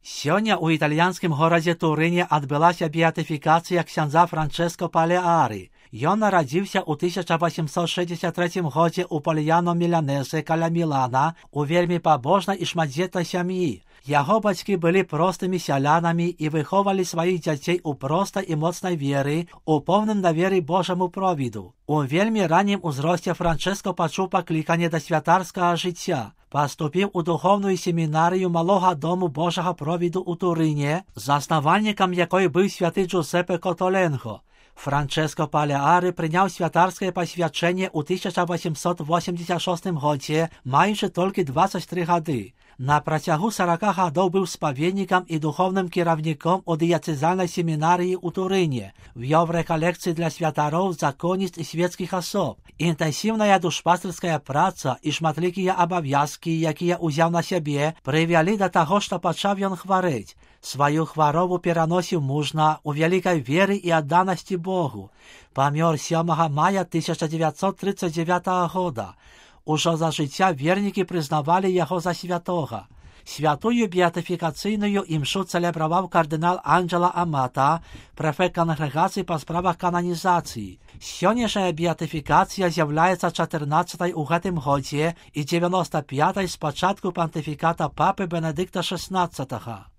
Сёння у італьянскім горадзе Турыне адбылася беатыфікацыя ксяндза Франческо Палеары. Ён нарадзіўся ў 1863 годзе ў Польяно Міланезе каля Мілана у вельмі пабожнай і шматдзетнай сям'і. Яго бацькі былі простымі сялянамі і выховалі сваіх дзяцей у простай і моцнай веры, у поўным даверы Божаму провіду. У вельмі раннім узросце Франческо пачуў пакліканне да святарскага жыцця. Паступіў у духовную семінарыю малога дому Божага провіду ў Турыне, заснавальнікам якой быў святы Джузепе Котоленго. Франческо Палеары прыняў святарскае пасвячэнне ў 1886 годзе, маючы толькі 23 гады. На працягу 40 гадоў быў спаведнікам і духовным кіраўніком у дыяцэзальнай семінарыі ў Турыне, вёў рэкалекцыі для святароў, законніц і свецкіх асоб. Інтэнсіўная душпастырская праца і шматлікія абавязкі, якія ўзяў на сябе, прывялі да таго, што пачаў ён хварэць. Сваю хваробу пераносіў мужна, у вялікай веры і адданасці Богу. Памёр 7 мая 1939 года. Ужо за жыцця вернікі прызнавалі яго за святога. Святую беатыфікацыйную імшу цэлебраваў кардынал Анджела Амата, прэфект кангрэгацыі па справах кананізацыі. Сённяшняя беатыфікацыя з'яўляецца 14-й у гэтым годзе і 95-й з пачатку пантыфіката папы Бенедыкта XVI.